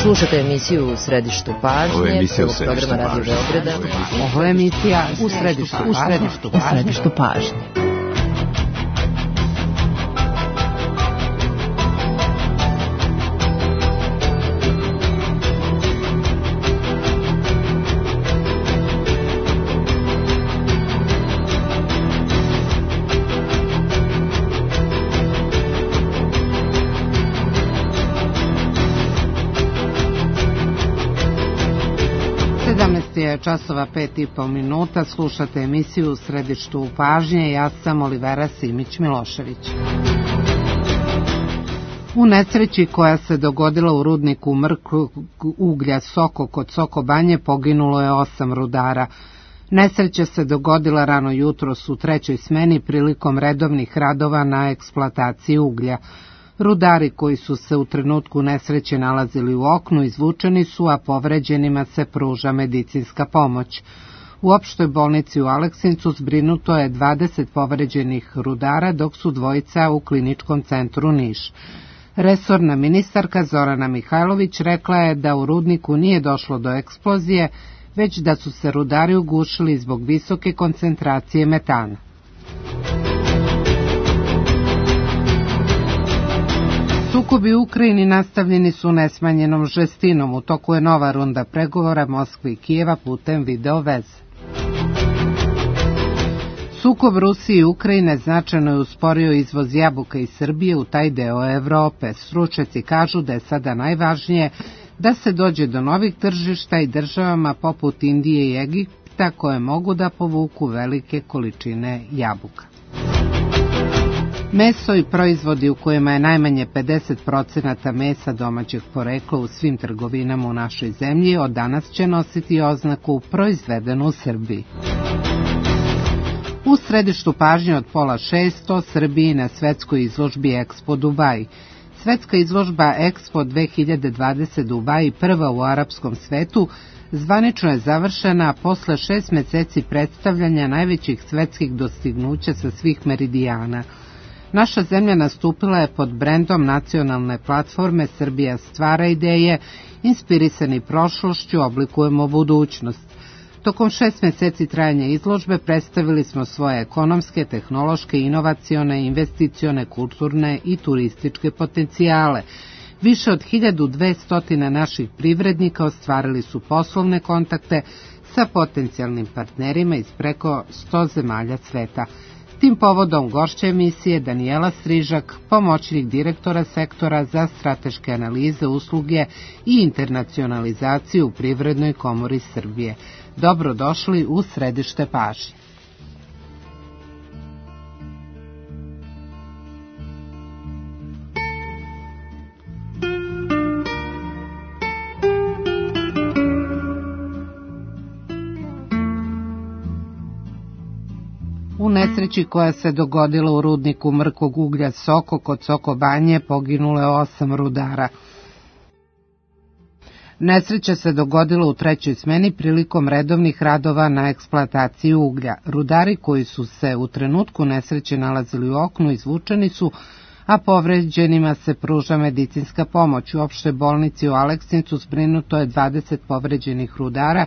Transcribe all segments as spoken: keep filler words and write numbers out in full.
Slušate emisiju U središtu pažnje. Ovo je emisija U središtu pažnje. Radio Beograda. Ovo je emisija U središtu pažnje. U središtu pažnje. sedamnaest je časova pet i po minuta, slušate emisiju U središtu pažnje, ja sam Olivera Simić-Milošević. U nesreći koja se dogodila u rudniku mrkog uglja Soko kod Soko Banje poginulo je osam rudara. Nesreća se dogodila rano jutros u trećoj smeni prilikom redovnih radova na eksploataciji uglja. Rudari koji su se u trenutku nesreće nalazili u oknu izvučeni su, a povređenima se pruža medicinska pomoć. U opštoj bolnici u Aleksincu zbrinuto je dvadeset povređenih rudara, dok su dvojica u kliničkom centru Niš. Resorna ministarka Zorana Mihajlović rekla je da u rudniku nije došlo do eksplozije, već da su se rudari ugušili zbog visoke koncentracije metana. Sukobi u Ukrajini nastavljeni su nesmanjenom žestinom. U toku je nova runda pregovora Moskve i Kijeva putem video veze. Sukob Rusije i Ukrajine značajno je usporio izvoz jabuka iz Srbije u taj deo Evrope. Stručnjaci kažu da je sada najvažnije da se dođe do novih tržišta i državama poput Indije i Egipta koje mogu da povuku velike količine jabuka. Meso i proizvodi u kojima je najmanje pedeset procenata mesa domaćeg porekla u svim trgovinama u našoj zemlji od danas će nositi oznaku proizvedeno u Srbiji. U središtu pažnje od pola šest o Srbiji na svetskoj izložbi Expo Dubai. Svetska izložba Expo dve hiljade dvadeset Dubai, prva u arapskom svetu, zvanično je završena posle šest meseci predstavljanja najvećih svetskih dostignuća sa svih meridijana. Naša zemlja nastupila je pod brendom nacionalne platforme Srbija stvara ideje, inspirisani prošlošću oblikujemo budućnost. Tokom šest meseci trajanja izložbe predstavili smo svoje ekonomske, tehnološke, inovacione, investicione, kulturne i turističke potencijale. Više od hiljadu dvesta naših privrednika ostvarili su poslovne kontakte sa potencijalnim partnerima iz preko sto zemalja sveta. Tim povodom gošća emisije Danijela Strižak, pomoćnik direktora sektora za strateške analize, usluge i internacionalizaciju u Privrednoj komori Srbije. Dobrodošli u središte pažnje. U nesreći koja se dogodila u rudniku mrkog uglja Soko kod Soko Banje poginulo je osam rudara. Nesreća se dogodila u trećoj smeni prilikom redovnih radova na eksploataciji uglja. Rudari koji su se u trenutku nesreće nalazili u oknu izvučeni su, a povređenima se pruža medicinska pomoć. U opštoj bolnici u Aleksincu zbrinuto je dvadeset povređenih rudara,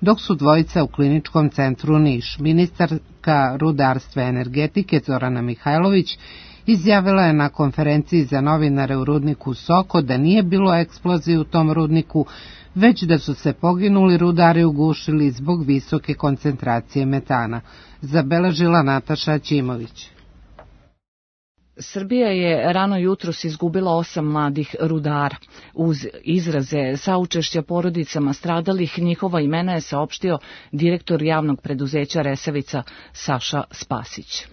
dok su dvojica u kliničkom centru Niš. Ministarka rudarstva i energetike Zorana Mihajlović izjavila je na konferenciji za novinare u rudniku Soko da nije bilo eksplozije u tom rudniku, već da su se poginuli rudari ugušili zbog visoke koncentracije metana. Zabeležila Nataša Ćimović. Srbija je rano jutros izgubila osam mladih rudara. Uz izraze saučešća porodicama stradalih, njihova imena je saopštio direktor javnog preduzeća Resavica Saša Spasić.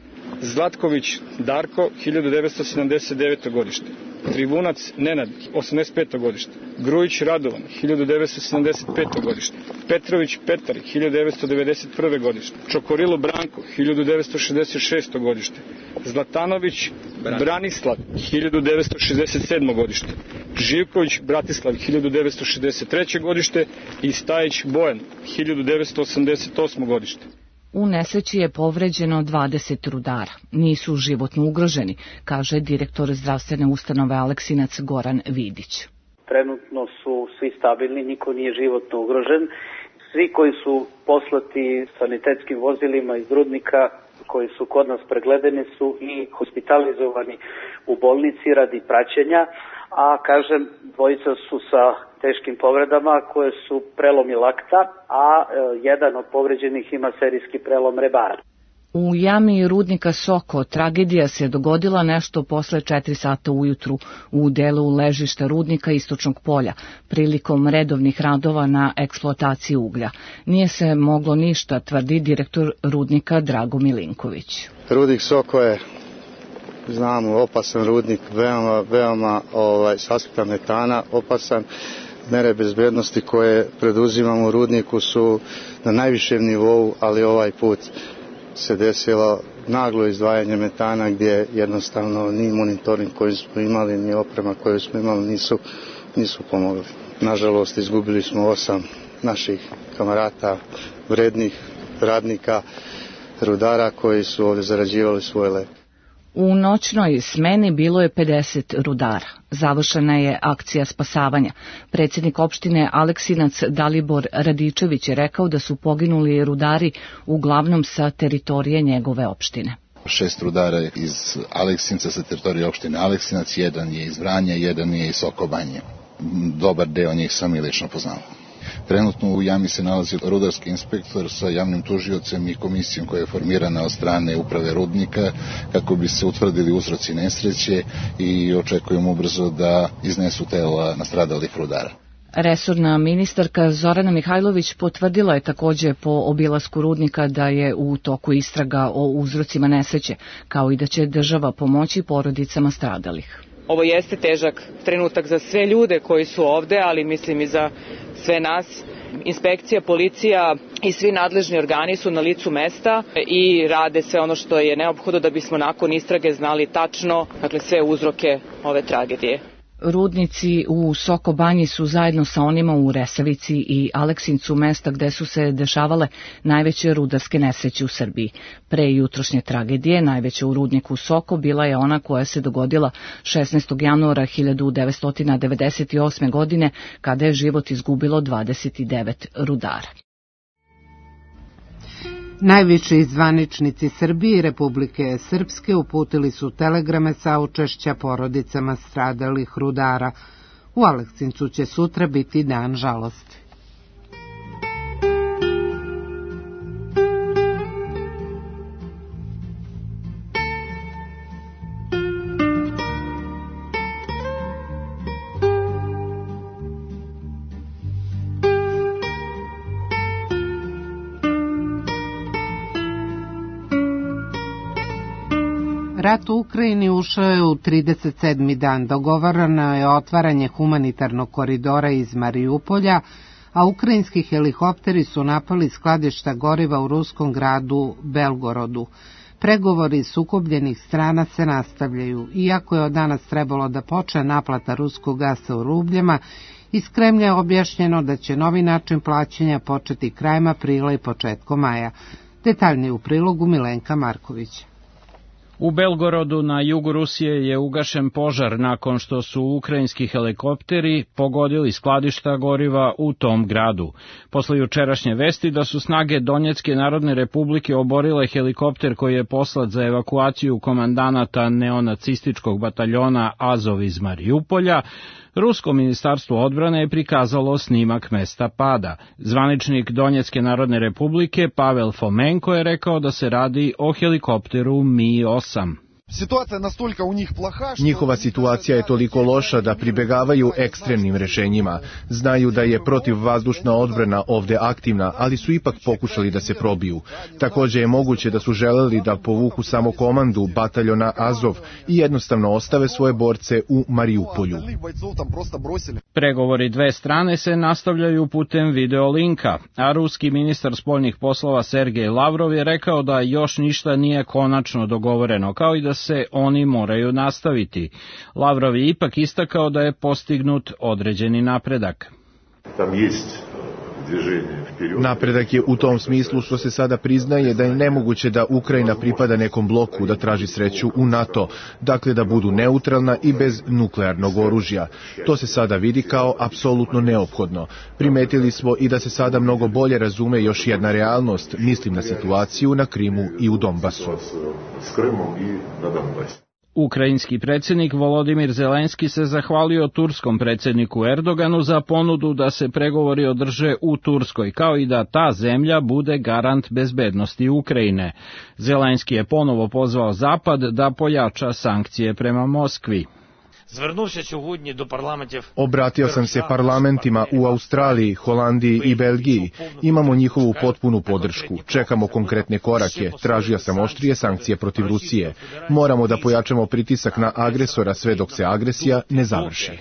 Zlatković Darko, hiljadu devetsto sedamdeset deveto godište. Trivunac Nenad, osamdeset peto godište. Grujić Radovan, hiljadu devetsto sedamdeset peto godište. Petrović Petar, hiljadu devetsto devedeset prve godište. Čokorilo Branko, hiljadu devetsto šezdeset šesto godište. Zlatanović Branislav, hiljadu devetsto šezdeset sedmo godište. Živković Bratislav, hiljadu devetsto šezdeset treće godište i Stajić Bojan, hiljadu devetsto osamdeset osmo godište. U nesreći je povređeno dvadeset rudara. Nisu životno ugroženi, kaže direktor zdravstvene ustanove Aleksinac Goran Vidić. trenutno su svi stabilni, niko nije životno ugrožen. Svi koji su poslati sanitetskim vozilima iz rudnika, koji su kod nas pregledani, su i hospitalizovani u bolnici radi praćenja, a kažem, dvojica su sa teškim povredama koje su prelomi lakta, a jedan od povređenih ima serijski prelom rebara. U jami rudnika Soko tragedija se dogodila nešto posle četiri sata ujutru u delu ležišta rudnika Istočnog polja, prilikom redovnih radova na eksploataciji uglja. Nije se moglo ništa, tvrdi direktor rudnika Drago Milinković. Rudnik Soko je, znamo, opasan rudnik, veoma, veoma ovaj, s aspekta metana opasan. Mere bezbednosti koje preduzimamo u rudniku su na najvišem nivou, ali ovaj put se desilo naglo izdvajanje metana gdje jednostavno ni monitoring koji smo imali, ni oprema koju smo imali nisu, nisu pomogli. Nažalost, izgubili smo osam naših kamarata, vrednih radnika, rudara koji su ovdje zarađivali svoj lep. U noćnoj smeni bilo je pedeset rudara. Završena je akcija spasavanja. Predsjednik opštine Aleksinac Dalibor Radičević je rekao da su poginuli rudari uglavnom sa teritorije njegove opštine. Šest rudara iz Aleksinca sa teritorije opštine Aleksinac, jedan je iz Vranja, jedan je iz Sokobanje. Dobar deo njih sam i lično poznao. Trenutno u jami se nalazi rudarski inspektor sa javnim tužiocem i komisijom koja je formirana od strane uprave rudnika kako bi se utvrdili uzroci nesreće i očekujemo ubrzo da iznesu tela nastradalih rudara. Resorna ministarka Zorana Mihajlović potvrdila je takođe po obilasku rudnika da je u toku istraga o uzrocima nesreće, kao i da će država pomoći porodicama stradalih. Ovo jeste težak trenutak za sve ljude koji su ovde, ali mislim i za sve nas. Inspekcija, policija i svi nadležni organi su na licu mesta i rade sve ono što je neophodno da bismo nakon istrage znali tačno, dakle, sve uzroke ove tragedije. Rudnici u Sokobanji su zajedno sa onima u Resavici i Aleksincu mesta gde su se dešavale najveće rudarske nesreće u Srbiji. Pre jutrošnje tragedije najveća u rudniku Soko bila je ona koja se dogodila šesnaestog januara hiljadu devetsto devedeset osme. godine kada je život izgubilo dvadeset devet rudara. Najviši zvaničnici Srbije i Republike Srpske uputili su telegrame saučešća porodicama stradalih rudara. U Aleksincu će sutra biti dan žalosti. Rat u Ukrajini ušao je u trideset sedmi dan. Dogovoreno je otvaranje humanitarnog koridora iz Marijupolja, a ukrajinski helikopteri su napali skladišta goriva u ruskom gradu Belgorodu. Pregovori sukobljenih strana se nastavljaju. Iako je od danas trebalo da počne naplata ruskog gasa u rubljama, iz Kremlja je objašnjeno da će novi način plaćanja početi krajem aprila i početkom maja. Detaljnije u prilogu Milenka Markovića. U Belgorodu na jugu Rusije je ugašen požar nakon što su ukrajinski helikopteri pogodili skladišta goriva u tom gradu. Posle jučerašnje vesti da su snage Donjecke narodne republike oborile helikopter koji je poslat za evakuaciju komandanata neonacističkog bataljona Azov iz Marijupolja, Rusko ministarstvo odbrane je prikazalo snimak mesta pada. Zvaničnik Donjecke narodne republike Pavel Fomenko je rekao da se radi o helikopteru Mi osam. Njihova situacija je toliko loša da pribegavaju ekstremnim rešenjima. Znaju da je protivvazdušna odbrana ovde aktivna, ali su ipak pokušali da se probiju. Takođe je moguće da su želeli da povuku samo komandu bataljona Azov i jednostavno ostave svoje borce u Marijupolju. Pregovori dve strane se nastavljaju putem videolinka, a ruski ministar spoljnih poslova Sergej Lavrov je rekao da još ništa nije konačno dogovoreno, kao i da se oni moraju nastaviti. Lavrov je ipak istakao da je postignut određeni napredak. Napredak je u tom smislu što se sada priznaje da je nemoguće da Ukrajina pripada nekom bloku, da traži sreću u NATO, dakle da budu neutralna i bez nuklearnog oružja. To se sada vidi kao apsolutno neophodno. Primetili smo i da se sada mnogo bolje razume još jedna realnost, mislim na situaciju na Krimu i u Donbasu. Ukrajinski predsjednik Volodimir Zelenski se zahvalio turskom predsjedniku Erdoganu za ponudu da se pregovori održe u Turskoj, kao i da ta zemlja bude garant bezbednosti Ukrajine. Zelenski je ponovo pozvao Zapad da pojača sankcije prema Moskvi. Obratio sam se parlamentima u Australiji, Holandiji i Belgiji. Imamo njihovu potpunu podršku. Čekamo konkretne korake. Tražio sam oštrije sankcije protiv Rusije. Moramo da pojačamo pritisak na agresora sve dok se agresija ne završi.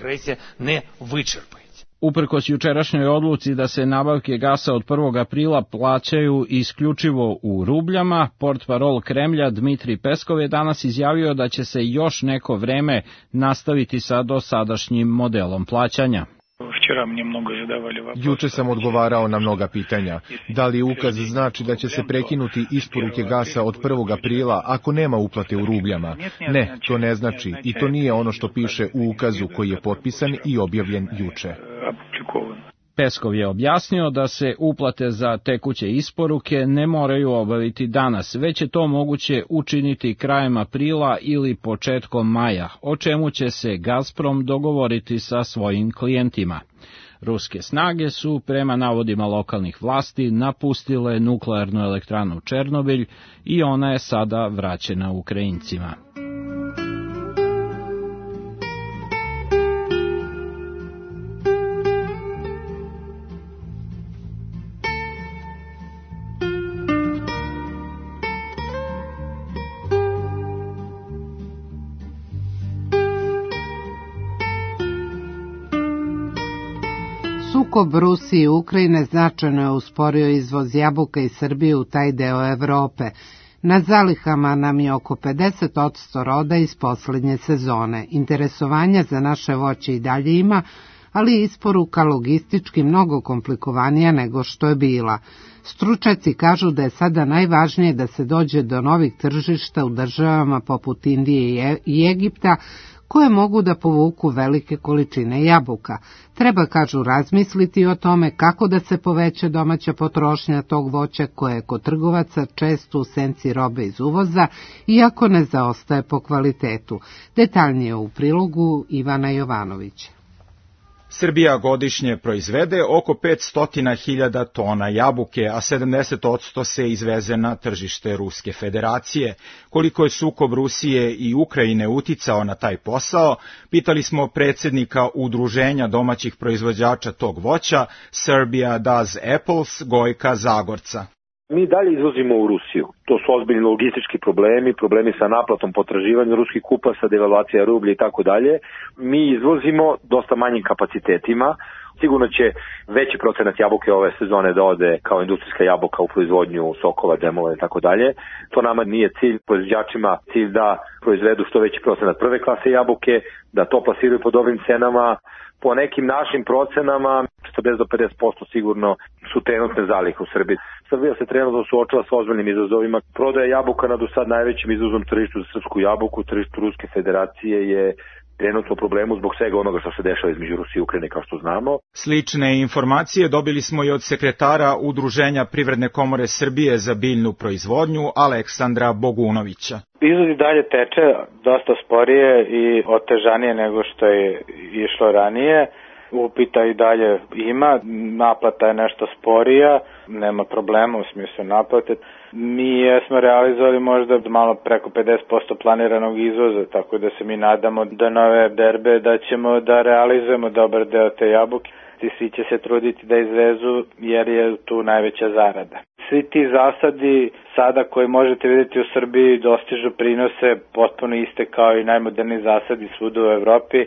Uprkos jučerašnjoj odluci da se nabavke gasa od prvog aprila plaćaju isključivo u rubljama, portparol Kremlja Dmitri Peskov je danas izjavio da će se još neko vreme nastaviti sa dosadašnjim modelom plaćanja. Juče sam odgovarao na mnoga pitanja. Da li ukaz znači da će se prekinuti isporuke gasa od prvog aprila ako nema uplate u rubljama? Ne, to ne znači i to nije ono što piše u ukazu koji je potpisan i objavljen juče. Peskov je objasnio da se uplate za tekuće isporuke ne moraju obaviti danas, već je to moguće učiniti krajem aprila ili početkom maja, o čemu će se Gazprom dogovoriti sa svojim klijentima. Ruske snage su, prema navodima lokalnih vlasti, napustile nuklearnu elektranu Černobilj i ona je sada vraćena Ukrajincima. Sukob Rusije i Ukrajine značajno je usporio izvoz jabuka iz Srbije u taj deo Evrope. Na zalihama nam je oko pedeset posto roda iz poslednje sezone. Interesovanja za naše voće i dalje ima, ali isporuka logistički mnogo komplikovanija nego što je bila. Stručnjaci kažu da je sada najvažnije da se dođe do novih tržišta u državama poput Indije i Egipta, koje mogu da povuku velike količine jabuka. Treba, kažu, razmisliti o tome kako da se poveća domaća potrošnja tog voća koje je kod trgovaca često u senci robe iz uvoza, iako ne zaostaje po kvalitetu. Detaljnije u prilogu Ivana Jovanovića. Srbija godišnje proizvede oko petsto hiljada tona jabuke, a sedamdeset posto se izveze na tržište Ruske federacije. Koliko je sukob Rusije i Ukrajine uticao na taj posao, pitali smo predsjednika Udruženja domaćih proizvođača tog voća, Serbia Does Apples, Gojka Zagorca. Mi dalje izvozimo u Rusiju. To su ozbiljni logistički problemi, problemi sa naplatom potraživanja ruskih kupaca, devalvacija rublja i tako dalje. Mi izvozimo dosta manjim kapacitetima. Sigurno će veći procenat jabuke ove sezone da ode kao industrijska jabuka u proizvodnju sokova, džemova i tako dalje. To nama nije cilj, proizvođačima cilj da proizvedu što veći procenat prve klase jabuke, da to plasiraju pod ovim cenama. Po nekim našim procenama, četrdeset do pedeset posto sigurno su trenutne zalihe u Srbiji. Srbija se trenutno suočava sa ozbiljnim izazovima. Prodaja jabuka na do sad najvećim izvozom tržištu za srpsku jabuku, tržištu Ruske federacije je trenutno problemu zbog svega onoga što se dešava između Rusije i Ukrajine, kao što znamo. Slične informacije dobili smo i od sekretara Udruženja Privredne komore Srbije za biljnu proizvodnju, Aleksandra Bogunovića. Izvoz i dalje teče dosta sporije i otežanije nego što je išlo ranije. Upita i dalje ima, naplata je nešto sporija, nema problema u smislu naplate. Mi smo realizovali možda malo preko pedeset posto planiranog izvoza, tako da se mi nadamo do nove berbe da ćemo da realizujemo dobar deo te jabuke. I svi će se truditi da izvezu jer je tu najveća zarada. Svi ti zasadi sada koji možete vidjeti u Srbiji dostižu prinose potpuno iste kao i najmoderniji zasadi svuda u Evropi.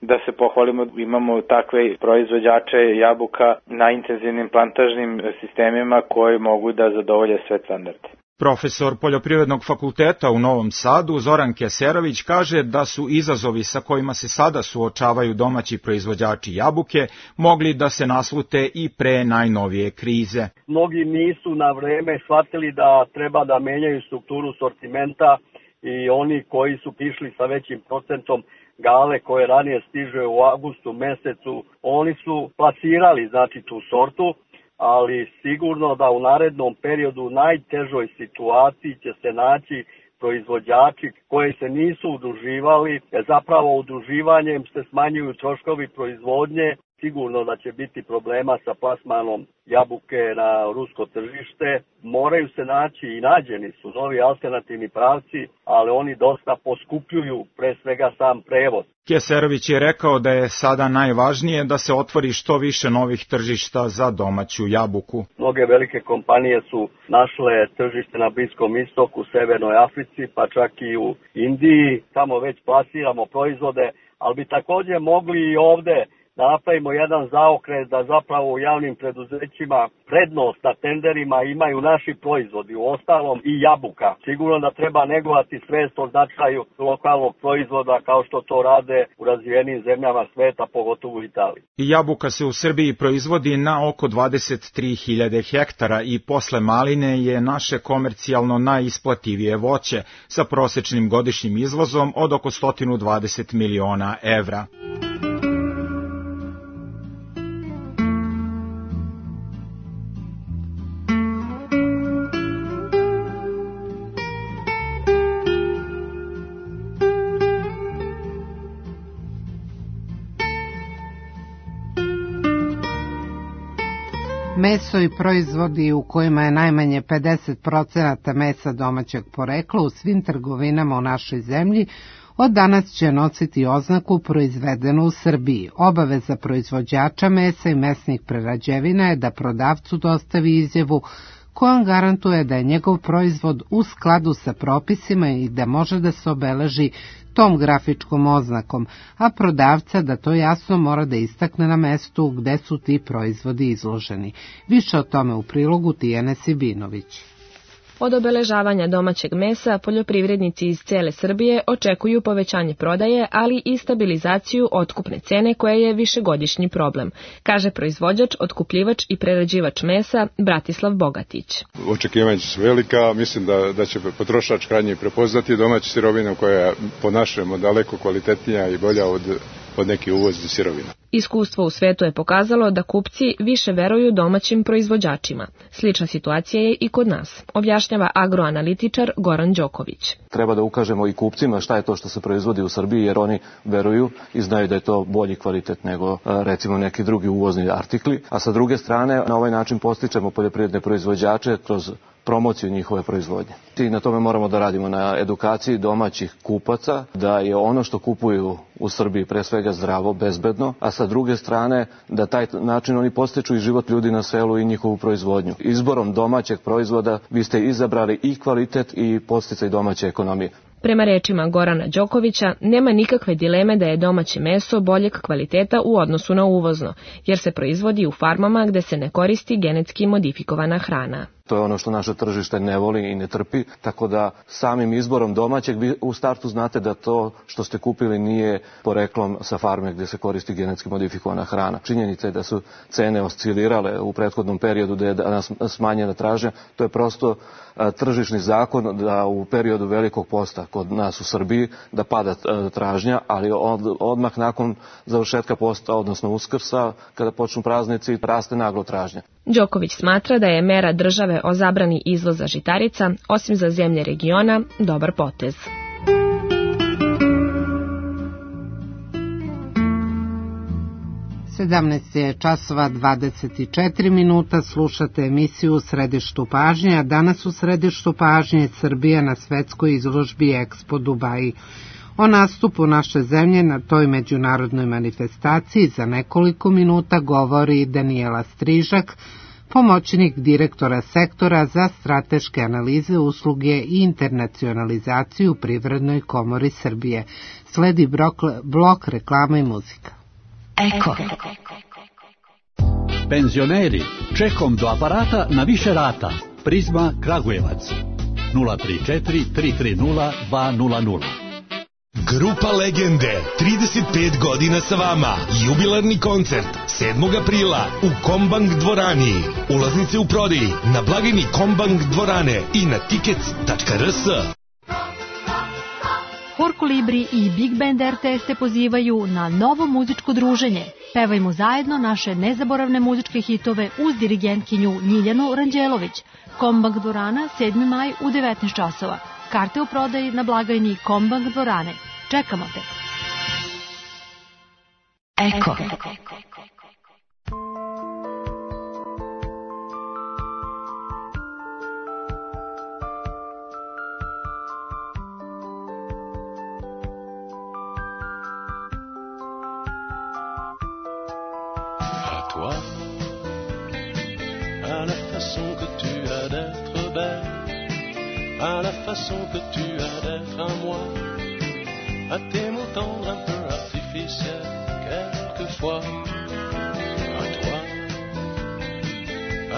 Da se pohvalimo, imamo takve proizvođače jabuka na intenzivnim plantažnim sistemima koji mogu da zadovolje sve standarde. Profesor Poljoprivrednog fakulteta u Novom Sadu Zoran Keserović kaže da su izazovi sa kojima se sada suočavaju domaći proizvođači jabuke mogli da se naslute i pre najnovije krize. Mnogi nisu na vreme shvatili da treba da menjaju strukturu sortimenta i oni koji su išli sa većim procentom gale koje ranije stiže u avgustu mesecu, oni su plasirali znači tu sortu, ali sigurno da u narednom periodu u najtežoj situaciji će se naći proizvođači koji se nisu udruživali, jer zapravo udruživanjem se smanjuju troškovi proizvodnje. Sigurno da će biti problema sa plasmanom jabuke na rusko tržište. Moraju se naći i nađeni su novi alternativni pravci, ali oni dosta poskupljuju pre svega sam prevoz. Keserović je rekao da je sada najvažnije da se otvori što više novih tržišta za domaću jabuku. Mnoge velike kompanije su našle tržište na Bliskom istoku, Severnoj Africi, pa čak i u Indiji. Tamo već plasiramo proizvode, ali bi također mogli i ovde da napravimo jedan zaokret da zapravo u javnim preduzećima prednost na tenderima imaju naši proizvodi, u ostalom i jabuka. Sigurno da treba negovati svest o značaju lokalnog proizvoda kao što to rade u razvijenim zemljama sveta, pogotovo u Italiji. Jabuka se u Srbiji proizvodi na oko dvadeset tri hiljade hektara i posle maline je naše komercijalno najisplativije voće sa prosečnim godišnjim izvozom od oko sto dvadeset miliona evra. Meso i proizvodi u kojima je najmanje pedeset procenata mesa domaćeg porekla u svim trgovinama u našoj zemlji od danas će nositi oznaku proizvedeno u Srbiji. Obaveza proizvođača mesa i mesnih prerađevina je da prodavcu dostavi izjavu kojom garantuje da je njegov proizvod u skladu sa propisima i da može da se obeleži tom grafičkom oznakom, a prodavca da to jasno mora da istakne na mestu gde su ti proizvodi izloženi. Više o tome u prilogu Tijane Sibinović. Od obeležavanja domaćeg mesa poljoprivrednici iz cele Srbije očekuju povećanje prodaje, ali i stabilizaciju otkupne cene koja je višegodišnji problem, kaže proizvođač, otkupljivač i prerađivač mesa Bratislav Bogatić. Očekivanja su velika, mislim da, da će potrošač krajnje prepoznati domaću sirovinu koja je po našem daleko kvalitetnija i bolja od, od nekih uvoznih sirovina. Iskustvo u svetu je pokazalo da kupci više veruju domaćim proizvođačima. Slična situacija je i kod nas, objašnjava agroanalitičar Goran Đoković. Treba da ukažemo i kupcima šta je to što se proizvodi u Srbiji, jer oni veruju i znaju da je to bolji kvalitet nego recimo neki drugi uvozni artikli. A sa druge strane, na ovaj način postičemo poljoprivredne proizvođače kroz promociju njihove proizvodnje. I na tome moramo da radimo na edukaciji domaćih kupaca, da je ono što kupuju u Srbiji pre svega zdravo, bezbedno, a sa druge strane da taj način oni postiču i život ljudi na selu i njihovu proizvodnju. Izborom domaćeg proizvoda vi ste izabrali i kvalitet i podsticaj domaće ekonomije. Prema rečima Gorana Đokovića, nema nikakve dileme da je domaće meso boljeg kvaliteta u odnosu na uvozno, jer se proizvodi u farmama gde se ne koristi genetski modifikovana hrana. To je ono što naše tržište ne voli i ne trpi, tako da samim izborom domaćeg vi u startu znate da to što ste kupili nije poreklom sa farme gdje se koristi genetski modifikovana hrana. Činjenica je da su cene oscilirale u prethodnom periodu, da je danas smanjena tražnja. To je prosto tržišni zakon da u periodu velikog posta kod nas u Srbiji da pada tražnja, ali od, odmah nakon završetka posta, odnosno Uskrsa, kada počnu praznici, raste naglo tražnja. Đoković smatra da je mera države o zabrani izvoza žitarica, osim za zemlje regiona, dobar potez. sedamnaest je časova dvadeset četiri minuta, slušate emisiju u središtu pažnje, a danas u središtu pažnje Srbija na svetskoj izložbi Expo Dubaji. O nastupu naše zemlje na toj međunarodnoj manifestaciji za nekoliko minuta govori Danijela Strižak, pomoćnik direktora sektora za strateške analize, usluge i internacionalizaciju u Privrednoj komori Srbije. Sledi blok, blok reklama i muzika. Eko. Penzioneri, čekom do aparata na više rata. Prizma Kragujevac. nula tri četiri tri tri nula dva nula nula. Grupa Legende, trideset pet godina sa vama. Jubilarni koncert sedmog aprila u Kombank dvorani. Ulaznice u prodaji na blagajni Kombank dvorane i na tickets tačka r s. Hor Kolibri i Big Band R T S te pozivaju na novo muzičko druženje. Pevajmo zajedno naše nezaboravne muzičke hitove uz dirigentkinju Ljiljanu Ranđelović. Kombank dvorana, sedmi maj u devetnaest časova. Karte u prodaji na blagajni Kombank dvorane. Čekamo te. Eko. Toi, à la façon que tu as d'être belle, à la façon que tu as d'être à moi, à tes mots tendres un peu artificiels, quelquefois, à toi,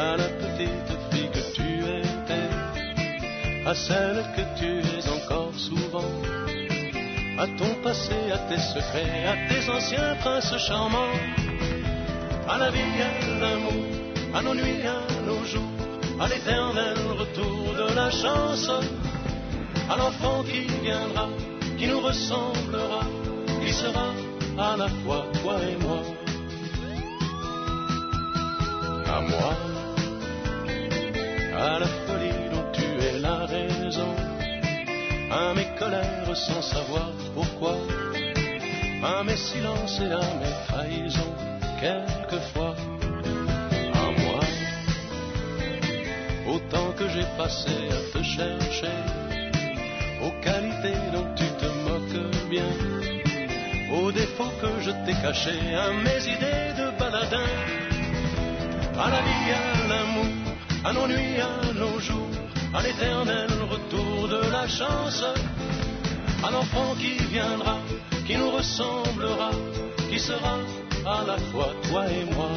à la petite fille que tu étais, à celle que tu es encore souvent, à ton passé, à tes secrets, à tes anciens princes charmants. À la vie, à l'amour, à nos nuits, à nos jours, à l'éternel retour de la chance, à l'enfant qui viendra, qui nous ressemblera, qui sera à la fois toi et moi. À moi, à la folie dont tu es la raison, à mes colères sans savoir pourquoi, à mes silences et à mes trahisons. Quelquefois, à moi, autant que j'ai passé à te chercher, aux qualités dont tu te moques bien, aux défauts que je t'ai cachés, à mes idées de baladin, à la vie, à l'amour, à nos nuits, à nos jours, à l'éternel retour de la chance, à l'enfant qui viendra, qui nous ressemblera, qui sera à la fois toi et moi.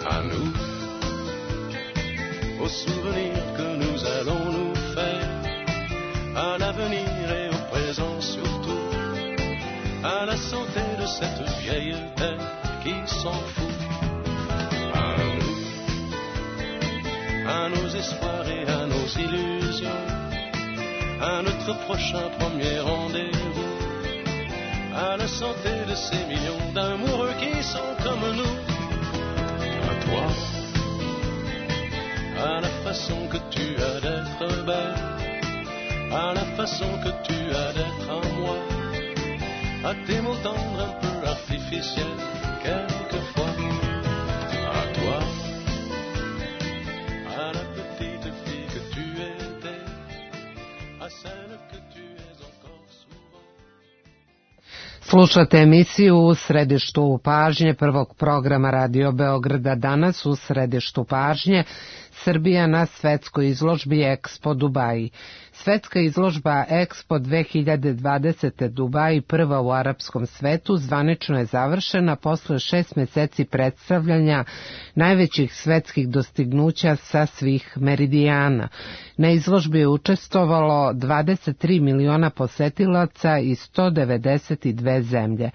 À nous, aux souvenirs que nous allons nous faire, à l'avenir et au présent surtout, à la santé de cette vieille terre qui s'en fout. À nous, à nos espoirs et à nos illusions, à notre prochain premier rendez-vous, à la santé de ces millions d'amoureux qui sont comme nous. À toi, à la façon que tu as d'être belle, à la façon que tu as d'être à moi, à tes mots tendres un peu artificiels, quelquefois. À toi, à la petite fille que tu étais, à celle que tu es encore souvent. Slušate emisiju U središtu pažnje prvog programa Radio Beograda. Danas u središtu pažnje Srbija na svetskoj izložbi Expo Dubaji. Svetska izložba Expo dve hiljade dvadesete Dubaji, prva u arapskom svetu, zvanično je završena posle šest meseci predstavljanja najvećih svetskih dostignuća sa svih meridijana. Na izložbi je učestvovalo dvadeset tri miliona posetilaca iz sto devedeset dve zemlje.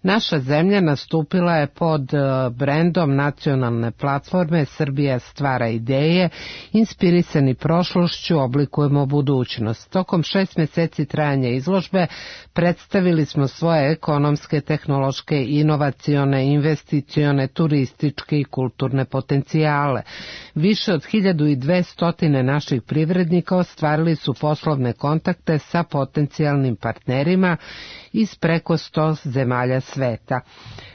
Naša zemlja nastupila je pod brendom nacionalne platforme Srbija stvara ideje, inspirisani prošlošću oblikujemo budućnost. Tokom šest meseci trajanja izložbe predstavili smo svoje ekonomske, tehnološke, inovacione, investicione, turističke i kulturne potencijale. Više od hiljadu dvesta naših privrednika ostvarili su poslovne kontakte sa potencijalnim partnerima iz preko sto zemalja sveta.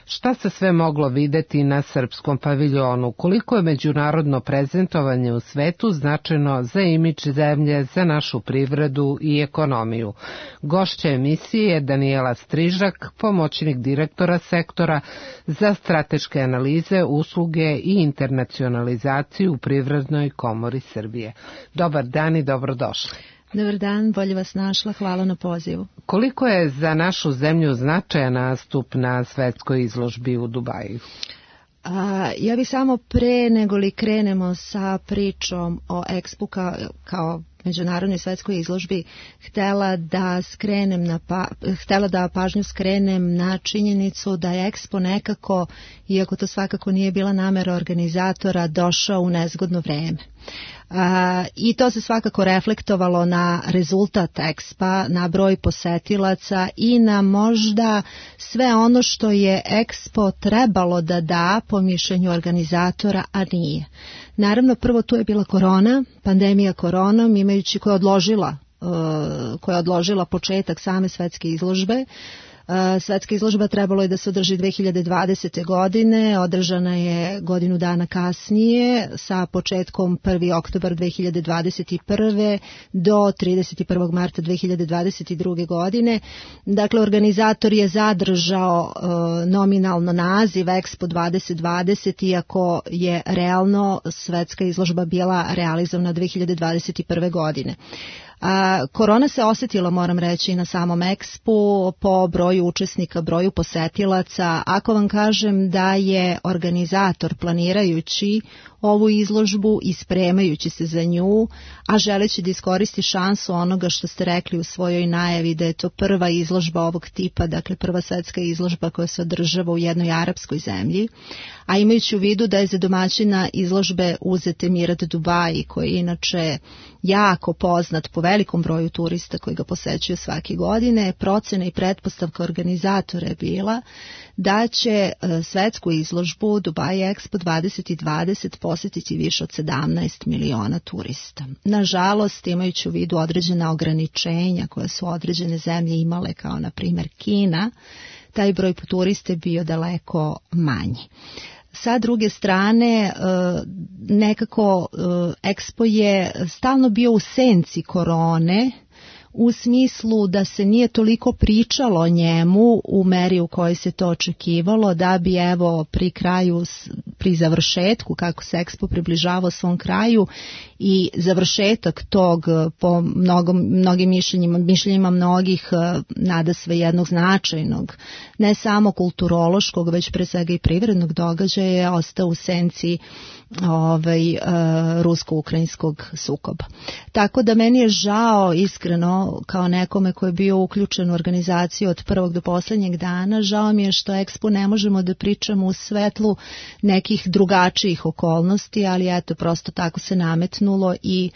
Šta se sve moglo videti na srpskom paviljonu? Koliko je međunarodno prezentovanje u svetu značajno za imidž zemlje, za našu privredu i ekonomiju? Gošća emisije je Danijela Strižak, pomoćnik direktora sektora za strateške analize, usluge i internacionalizaciju u Privrednoj komori Srbije. Dobar dan i dobrodošli. Dobar dan, bolje vas našla, hvala na pozivu. Koliko je za našu zemlju značajan nastup na svetskoj izložbi u Dubaju? A, ja bih samo pre nego li krenemo sa pričom o Expu kao, kao međunarodnoj svetskoj izložbi htela da skrenem na pa, htela da pažnju skrenem na činjenicu da je Expo nekako, iako to svakako nije bila namera organizatora, došao u nezgodno vreme. A, i to se svakako reflektovalo na rezultat Expa, na broj posetilaca i na možda sve ono što je Expo trebalo da da po mišljenju organizatora, a nije. Naravno, prvo tu je bila korona, pandemija koronom, imajući koja je odložila, uh, koja je odložila početak same svetske izložbe. Svetska izložba trebalo je da se održi dve hiljade dvadesete. godine, održana je godinu dana kasnije sa početkom prvi oktobar dve hiljade dvadeset prve. do trideset prvog marta dve hiljade dvadeset druge. godine. Dakle, organizator je zadržao uh, nominalno naziv Expo dvadeset dvadeset, iako je realno svetska izložba bila realizovana dve hiljade dvadeset prve. godine. A, korona se osjetila, moram reći, na samom Expu po broju učesnika, broju posetilaca. Ako vam kažem da je organizator planirajući ovu izložbu i spremajući se za nju, a želeći da iskoristi šansu onoga što ste rekli u svojoj najavi, da je to prva izložba ovog tipa, dakle prva svetska izložba koja se održava u jednoj arapskoj zemlji, a imajući u vidu da je za domaćina izložbe uzet Emirat Dubai, koji je inače jako poznat po velikom broju turista koji ga posećuju svake godine, procena i pretpostavka organizatora je bila da će svetsku izložbu Dubai Expo dvadeset dvadeset posjetiti više od sedamnaest miliona turista. Nažalost, imajući u vidu određena ograničenja koje su određene zemlje imale, kao na primjer Kina, taj broj turista je bio daleko manji. Sa druge strane, nekako Expo je stalno bio u senci korone, u smislu da se nije toliko pričalo o njemu u meri u kojoj se to očekivalo, da bi evo pri kraju, pri završetku, kako se Expo približavao svom kraju i završetak tog po mnogom, mnogim mišljenjima, mišljenjima mnogih nadasve jednog značajnog, ne samo kulturološkog, već pre svega i privrednog događaja je ostao u senci ovaj, uh, rusko-ukrajinskog sukoba. Tako da meni je žao, iskreno, kao nekome koji je bio uključen u organizaciju od prvog do posljednjeg dana, žao mi je što Expo ne možemo da pričamo u svetlu nekih drugačijih okolnosti, ali eto, prosto tako se nametnulo i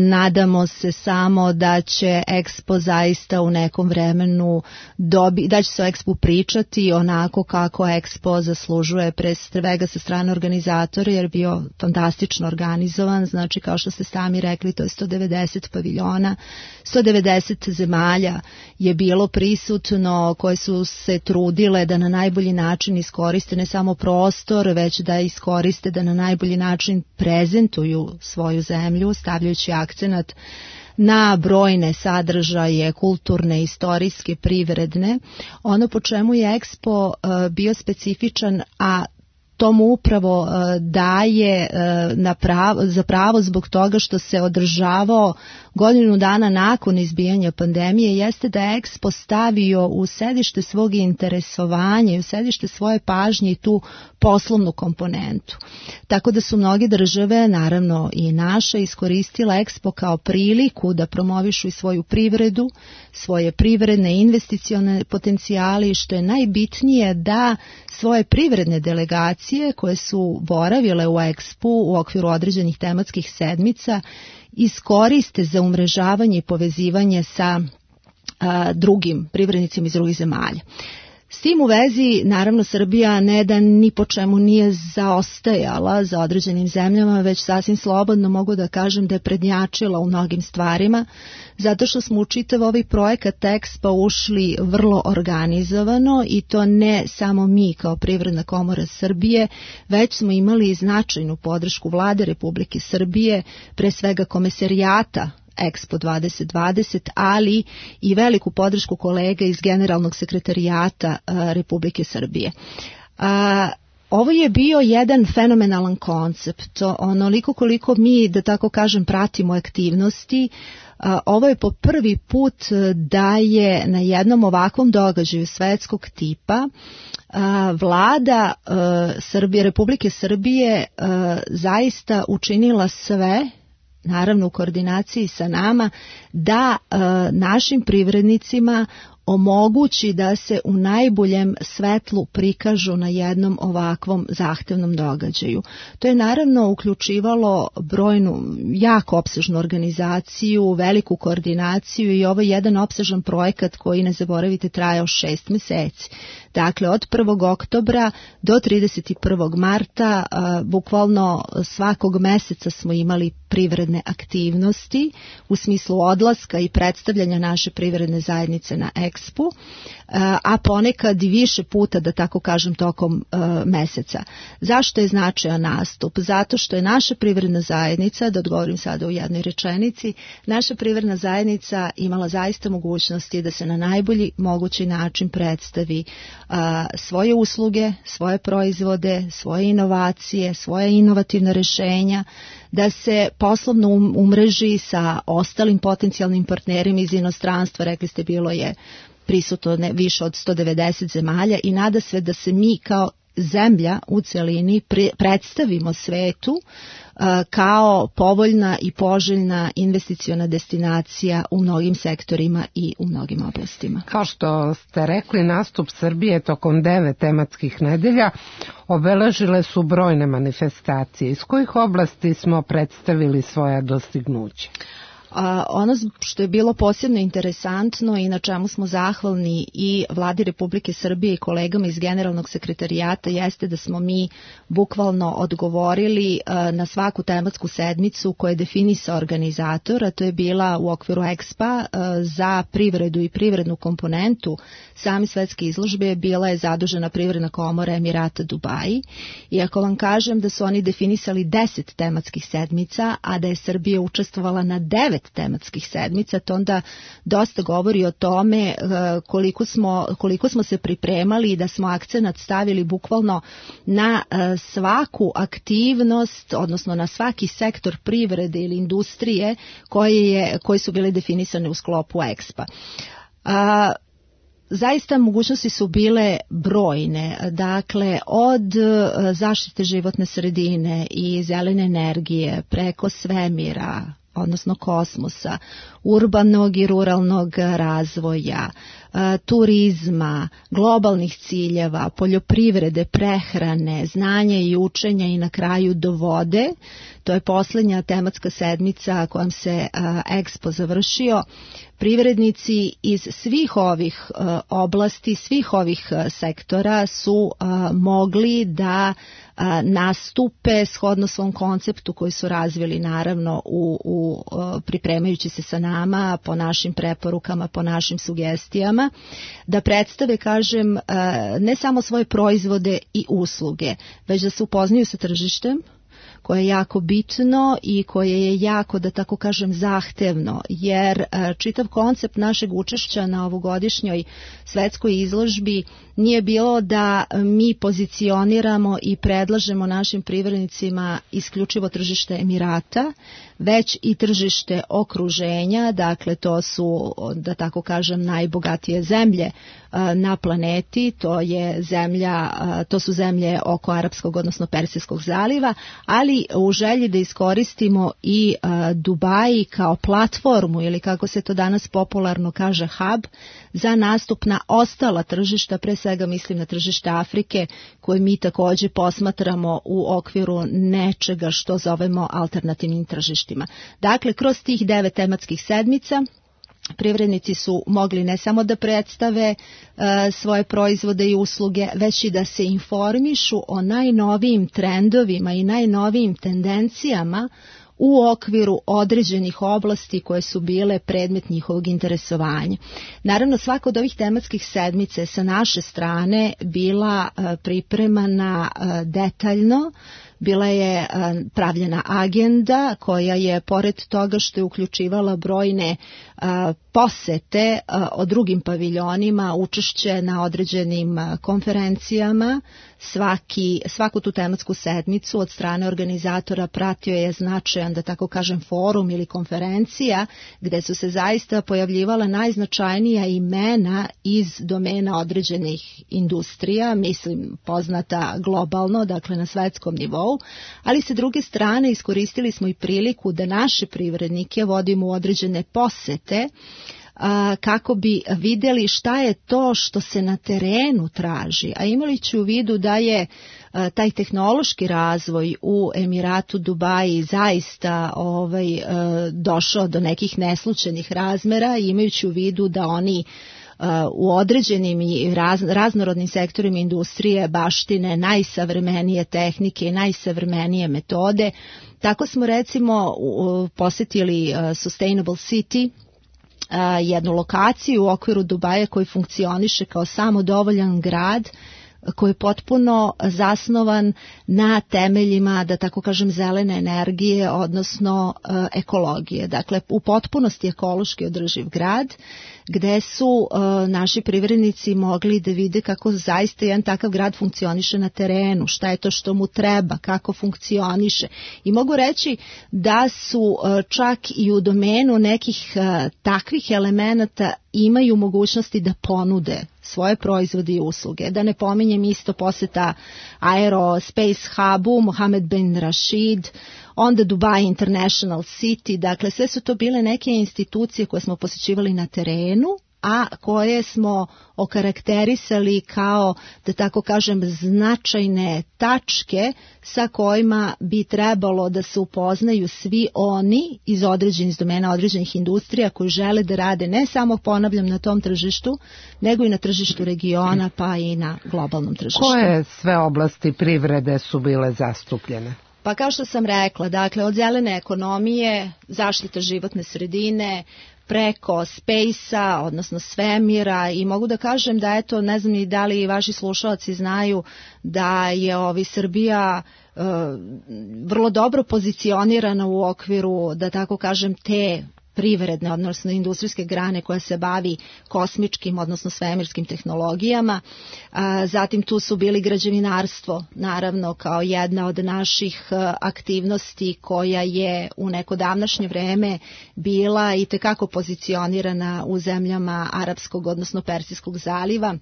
nadamo se samo da će Expo zaista u nekom vremenu dobi, da će se o Expo pričati onako kako Expo zaslužuje, pre svega sa strane organizatora, jer je bio fantastično organizovan. Znači, kao što ste sami rekli, to je sto devedeset paviljona, sto devedeset zemalja je bilo prisutno, koje su se trudile da na najbolji način iskoriste ne samo prostor, već da iskoriste da na najbolji način prezentuju svoju zemlju, stavljajući akcenat na brojne sadržaje, kulturne, istorijske, privredne. Ono po čemu je Expo uh, bio specifičan, a tomu upravo uh, daje uh, na pravo, za pravo zbog toga što se održavao godinu dana nakon izbijanja pandemije, jeste da je Expo stavio u sedište svog interesovanja i u sedište svoje pažnje i tu poslovnu komponentu. Tako da su mnoge države, naravno i naša, iskoristila Expo kao priliku da promovišu i svoju privredu, svoje privredne investicione potencijale i što je najbitnije da svoje privredne delegacije koje su boravile u Expu u okviru određenih tematskih sedmica iskoriste za umrežavanje i povezivanje sa a, drugim privrednicima iz drugih zemalja. S tim u vezi, naravno, Srbija ne da ni po čemu nije zaostajala za određenim zemljama, već sasvim slobodno mogu da kažem da je prednjačila u mnogim stvarima, zato što smo u čitav ovaj projekat Expo ušli vrlo organizovano i to ne samo mi kao Privredna komora Srbije, već smo imali značajnu podršku Vlade Republike Srbije, pre svega Komesarijata Expo dvadeset dvadeset, ali i veliku podršku kolega iz Generalnog sekretarijata Republike Srbije. Ovo je bio jedan fenomenalan koncept, onoliko koliko mi, da tako kažem, pratimo aktivnosti. Ovo je po prvi put da je na jednom ovakvom događaju svetskog tipa vlada Srbije, Republike Srbije zaista učinila sve, naravno u koordinaciji sa nama, da našim privrednicima omogući da se u najboljem svetlu prikažu na jednom ovakvom zahtevnom događaju. To je naravno uključivalo brojnu, jako opsežnu organizaciju, veliku koordinaciju i ovo je jedan opsežan projekat koji, ne zaboravite, trajao šest meseci. Dakle, od prvog oktobra do trideset prvog marta, bukvalno svakog meseca smo imali privredne aktivnosti u smislu odlaska i predstavljanja naše privredne zajednice na Expu, a ponekad i više puta, da tako kažem, tokom meseca. Zašto je značajan nastup? Zato što je naša privredna zajednica, da odgovorim sada u jednoj rečenici, naša privredna zajednica imala zaista mogućnosti da se na najbolji mogući način predstavi svoje usluge, svoje proizvode, svoje inovacije, svoje inovativne rešenja, da se poslovno umreži sa ostalim potencijalnim partnerima iz inostranstva. Rekli ste, bilo je prisutno više od sto devedeset zemalja i nada se da se mi kao zemlja u celini predstavimo svetu kao povoljna i poželjna investiciona destinacija u mnogim sektorima i u mnogim oblastima. Kao što ste rekli, nastup Srbije tokom devet tematskih nedelja obeležile su brojne manifestacije. Iz kojih oblasti smo predstavili svoja dostignuća? A ono što je bilo posebno interesantno i na čemu smo zahvalni i Vladi Republike Srbije i kolegama iz Generalnog sekretarijata jeste da smo mi bukvalno odgovorili na svaku tematsku sedmicu koju je definisao organizator, a to je bila u okviru Expa za privredu i privrednu komponentu same svetske izložbe bila je zadužena Privredna komora Emirata Dubaji. I ako vam kažem da su oni definisali deset tematskih sedmica, a da je Srbija učestvovala na devet tematskih sedmica, to onda dosta govori o tome koliko smo, koliko smo se pripremali i da smo akcenat stavili bukvalno na svaku aktivnost, odnosno na svaki sektor privrede ili industrije koje, je, koje su bile definisane u sklopu Expa. A, Zaista mogućnosti su bile brojne, dakle od zaštite životne sredine i zelene energije preko svemira, odnosno kosmosa, urbanog i ruralnog razvoja, turizma, globalnih ciljeva, poljoprivrede, prehrane, znanja i učenja i na kraju do vode. To je posljednja tematska sedmica kojom se Expo završio. Privrednici iz svih ovih oblasti, svih ovih sektora su mogli da nastupe shodno svom konceptu koji su razvili naravno u, u pripremajući se sa nama, po našim preporukama, po našim sugestijama, da predstave, kažem, ne samo svoje proizvode i usluge, već da se upoznaju sa tržištem, koje je jako bitno i koje je jako, da tako kažem, zahtevno, jer čitav koncept našeg učešća na ovogodišnjoj svetskoj izložbi nije bilo da mi pozicioniramo i predlažemo našim privrednicima isključivo tržište Emirata, već i tržište okruženja, dakle to su, da tako kažem, najbogatije zemlje na planeti, to je zemlja, to su zemlje oko Arapskog, odnosno Persijskog zaliva, ali u želji da iskoristimo i Dubai kao platformu ili kako se to danas popularno kaže hub za nastup na ostala tržišta, pre svega mislim na tržište Afrike koje mi takođe posmatramo u okviru nečega što zovemo alternativnim tržištima. Dakle, kroz tih devet tematskih sedmica privrednici su mogli ne samo da predstave uh, svoje proizvode i usluge, već i da se informišu o najnovijim trendovima i najnovijim tendencijama u okviru određenih oblasti koje su bile predmet njihovog interesovanja. Naravno, svaka od ovih tematskih sedmice sa naše strane bila uh, pripremana uh, detaljno, bila je pravljena agenda koja je, pored toga što je uključivala brojne posete o drugim paviljonima, učešće na određenim konferencijama, svaki, svaku tu tematsku sedmicu od strane organizatora pratio je značajan, da tako kažem, forum ili konferencija gde su se zaista pojavljivala najznačajnija imena iz domena određenih industrija, mislim poznata globalno, dakle na svetskom nivou, ali sa druge strane iskoristili smo i priliku da naše privrednike vodimo u određene posete kako bi videli šta je to što se na terenu traži, a imali ću u vidu da je taj tehnološki razvoj u Emiratu Dubaji zaista ovaj, došao do nekih neslučajnih razmera, imajući u vidu da oni u određenim i raz, raznorodnim sektorima industrije baštine najsavremenije tehnike i najsavremenije metode. Tako smo recimo posjetili Sustainable City, jednu lokaciju u okviru Dubaja koji funkcioniše kao samodovoljan grad, koji je potpuno zasnovan na temeljima, da tako kažem, zelene energije, odnosno e, ekologije. Dakle, u potpunosti ekološki održiv grad, gde su e, naši privrednici mogli da vide kako zaista jedan takav grad funkcioniše na terenu, šta je to što mu treba, kako funkcioniše. I mogu reći da su e, čak i u domenu nekih e, takvih elemenata imaju mogućnosti da ponude svoje proizvode i usluge. Da ne pominjem isto poseta Aerospace Hubu, Mohammed bin Rashid, onda Dubai International City, dakle sve su to bile neke institucije koje smo posjećivali na terenu, a koje smo okarakterisali kao, da tako kažem, značajne tačke sa kojima bi trebalo da se upoznaju svi oni iz određenih domena, određenih industrija koji žele da rade ne samo, ponavljam, na tom tržištu, nego i na tržištu regiona pa i na globalnom tržištu. Koje sve oblasti privrede su bile zastupljene? Pa kao što sam rekla, dakle od zelene ekonomije, zaštita životne sredine, preko space-a, odnosno svemira, i mogu da kažem da eto, ne znam ni da li vaši slušalci znaju da je ovi Srbija e, vrlo dobro pozicionirana u okviru, da tako kažem, te privredne, odnosno industrijske grane koja se bavi kosmičkim, odnosno svemirskim tehnologijama. Zatim tu su bili građevinarstvo, naravno kao jedna od naših aktivnosti koja je u neko davnašnje vreme bila i tekako pozicionirana u zemljama Arapskog, odnosno Persijskog zaliva.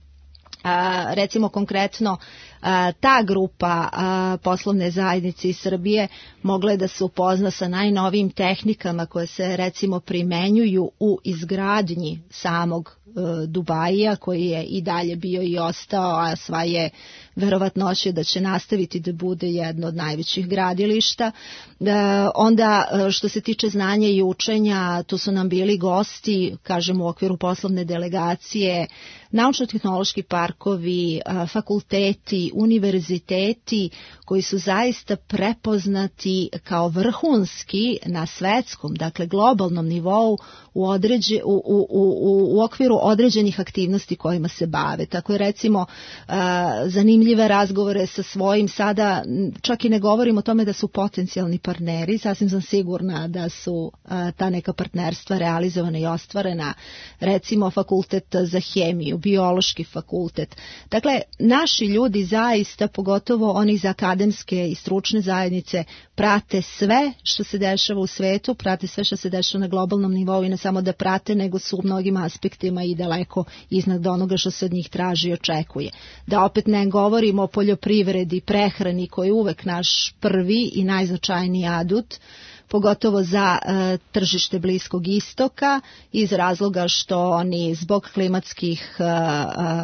A, recimo konkretno a, ta grupa a, poslovne zajednice iz Srbije mogla je da se upozna sa najnovijim tehnikama koje se recimo primenjuju u izgradnji samog a, Dubaija, koji je i dalje bio i ostao, a sva je verovatnoće da će nastaviti da bude jedno od najvećih gradilišta. A, onda što se tiče znanja i učenja, tu su nam bili gosti, kažem u okviru poslovne delegacije, naučno-tehnološki parkovi, fakulteti, univerziteti koji su zaista prepoznati kao vrhunski na svetskom, dakle globalnom nivou u, određe, u, u, u, u okviru određenih aktivnosti kojima se bave. Tako je recimo zanimljive razgovore sa svojim, sada čak i ne govorim o tome da su potencijalni partneri, sasvim sam sigurna da su ta neka partnerstva realizovana i ostvarena, recimo fakultet za hemiju, biološki fakultet. Dakle, naši ljudi zaista, pogotovo oni iz akademske i stručne zajednice, prate sve što se dešava u svetu, prate sve što se dešava na globalnom nivou i ne samo da prate, nego su u mnogim aspektima i daleko iznad onoga što se od njih traži i očekuje. Da opet ne govorimo o poljoprivredi, prehrani koji je uvek naš prvi i najznačajniji adut, pogotovo za e, tržište Bliskog istoka, iz razloga što oni zbog klimatskih, e,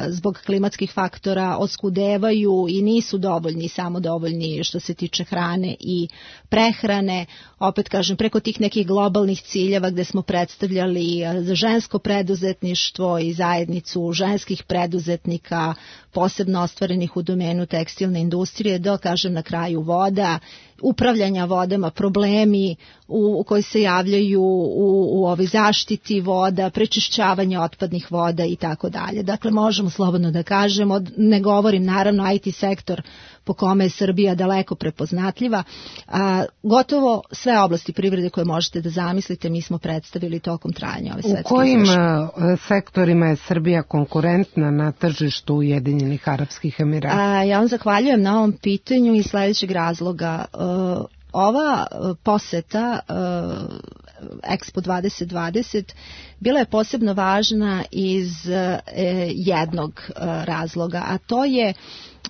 zbog klimatskih faktora oskudevaju i nisu dovoljni, samo dovoljni što se tiče hrane i prehrane. Opet kažem, preko tih nekih globalnih ciljeva gde smo predstavljali za žensko preduzetništvo i zajednicu ženskih preduzetnika, posebno ostvarenih u domenu tekstilne industrije, do, kažem, na kraju voda, upravljanja vodama, problemi u, u koji se javljaju u, u ovoj zaštiti voda, prečišćavanje otpadnih voda i tako dalje. Dakle, možemo slobodno da kažemo, ne govorim naravno I T sektor, po kome je Srbija daleko prepoznatljiva. A, gotovo sve oblasti privrede koje možete da zamislite mi smo predstavili tokom trajanja ove svetske izložbe. U kojim sektorima je Srbija konkurentna na tržištu Ujedinjenih Arapskih Emirata? A, ja vam zahvaljujem na ovom pitanju iz sledećeg razloga. Uh, ova poseta uh, Expo dvadeset dvadeset bila je posebno važna iz uh, jednog uh, razloga, a to je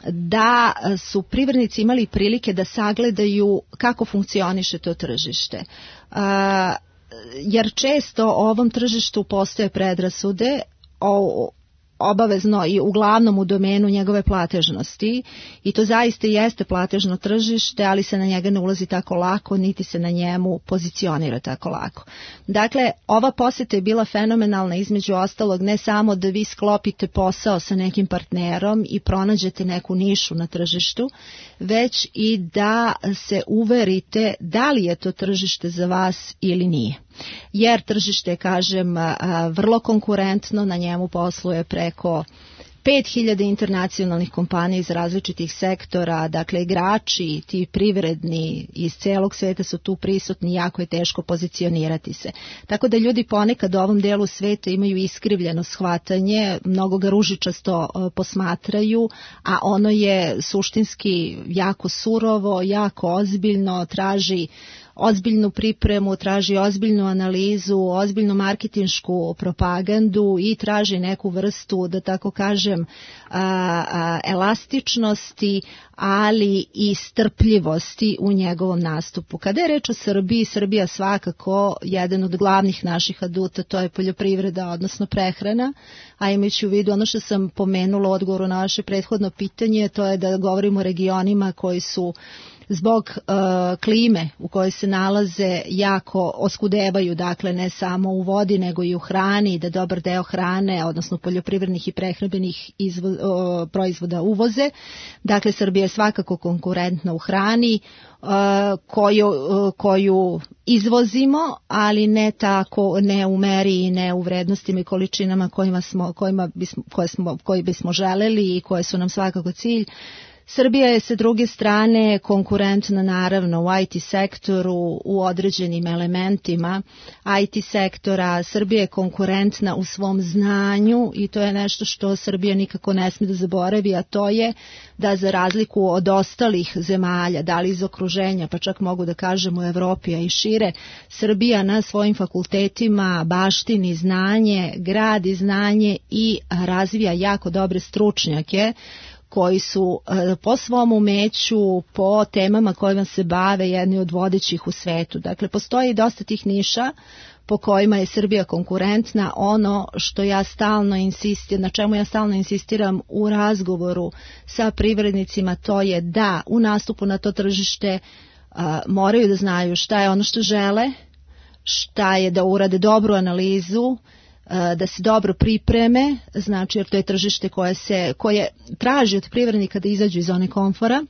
da su privrednici imali prilike da sagledaju kako funkcioniše to tržište. Uh, jer često o ovom tržištu postoje predrasude o obavezno i uglavnom u domenu njegove platežnosti i to zaista jeste platežno tržište, ali se na njega ne ulazi tako lako, niti se na njemu pozicionira tako lako. Dakle, ova poseta je bila fenomenalna između ostalog ne samo da vi sklopite posao sa nekim partnerom i pronađete neku nišu na tržištu, već i da se uverite da li je to tržište za vas ili nije. Jer tržište, kažem, vrlo konkurentno, na njemu posluje preko pet hiljada internacionalnih kompanija iz različitih sektora, dakle igrači, ti privredni iz celog sveta su tu prisutni, jako je teško pozicionirati se. Tako da ljudi ponekad u ovom delu sveta imaju iskrivljeno shvatanje, mnogo ga ružičasto posmatraju, a ono je suštinski jako surovo, jako ozbiljno, traži ozbiljnu pripremu, traži ozbiljnu analizu, ozbiljnu marketinšku propagandu i traži neku vrstu, da tako kažem, a, a, elastičnosti, ali i strpljivosti u njegovom nastupu. Kada je reč o Srbiji, Srbija svakako jedan od glavnih naših aduta, to je poljoprivreda, odnosno prehrana, a imajući u vidu ono što sam pomenula u odgovoru na vaše prethodno pitanje, to je da govorimo o regionima koji su zbog uh, klime u kojoj se nalaze jako oskudevaju, dakle ne samo u vodi nego i u hrani, da dobar deo hrane, odnosno poljoprivrednih i prehrambenih izvo, uh, proizvoda uvoze. Dakle, Srbija je svakako konkurentna u hrani uh, koju, uh, koju izvozimo, ali ne tako, ne u meri i ne u vrednostima i količinama kojima smo, kojima bismo, koje smo, koji bismo želeli i koje su nam svakako cilj. Srbija je sa druge strane konkurentna naravno u I T sektoru u određenim elementima I T sektora. Srbija je konkurentna u svom znanju i to je nešto što Srbija nikako ne smije da zaboravi, a to je da za razliku od ostalih zemalja, da li iz okruženja, pa čak mogu da kažem u Evropi, a i šire, Srbija na svojim fakultetima baštini znanje, gradi znanje i razvija jako dobre stručnjake koji su po svom umeću, po temama kojima se bave, jedni od vodećih u svetu. Dakle, postoji dosta tih niša po kojima je Srbija konkurentna. Ono što ja stalno insistiram, na čemu ja stalno insistiram u razgovoru sa privrednicima, to je da u nastupu na to tržište a, moraju da znaju šta je ono što žele, šta je da urade dobru analizu, da se dobro pripreme, znači jer to je tržište koje se koje traži od privrednika da izađu iz zone komfora.